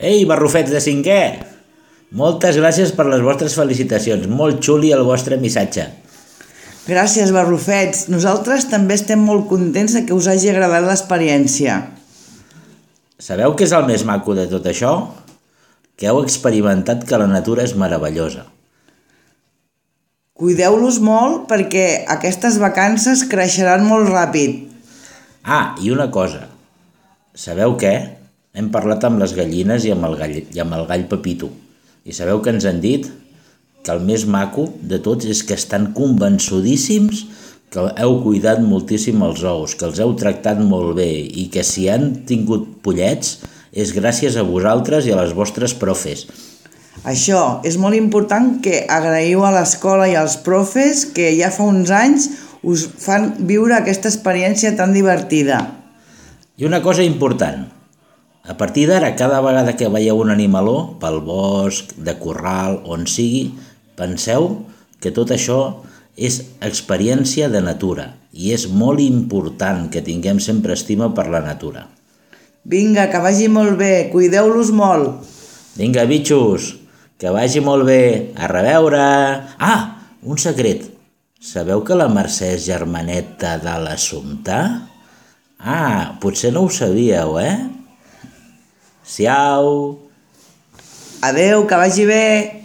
Ei, barrufets de cinquè! Moltes gràcies per les vostres felicitacions. Molt xuli el vostre missatge. Gràcies, barrufets. Nosaltres també estem molt contents de que us hagi agradat l'experiència. Sabeu què és el més maco de tot això? Que heu experimentat que la natura és meravellosa. Cuideu-los molt perquè aquestes vacances creixeran molt ràpid. Ah, i una cosa. Sabeu què? Hem parlat amb les gallines i amb el gall Pepito. I sabeu què ens han dit? Que el més maco de tots és que estan convençudíssims que heu cuidat moltíssim els ous, que els heu tractat molt bé i que si han tingut pollets és gràcies a vosaltres i a les vostres profes. Això és molt important que agraïu a l'escola i als profes que ja fa uns anys us fan viure aquesta experiència tan divertida. I una cosa important. A partir d'ara, cada vegada que veieu un animaló, pel bosc, de corral, on sigui, penseu que tot això és experiència de natura i és molt important que tinguem sempre estima per la natura. Vinga, que vagi molt bé, cuideu-los molt. Vinga, bitxos, que vagi molt bé, a reveure! Ah, un secret. Sabeu que la Mercè és germaneta de l'Assumpta? Ah, potser no ho sabíeu, eh? Siau! Adeu, que vagi bé.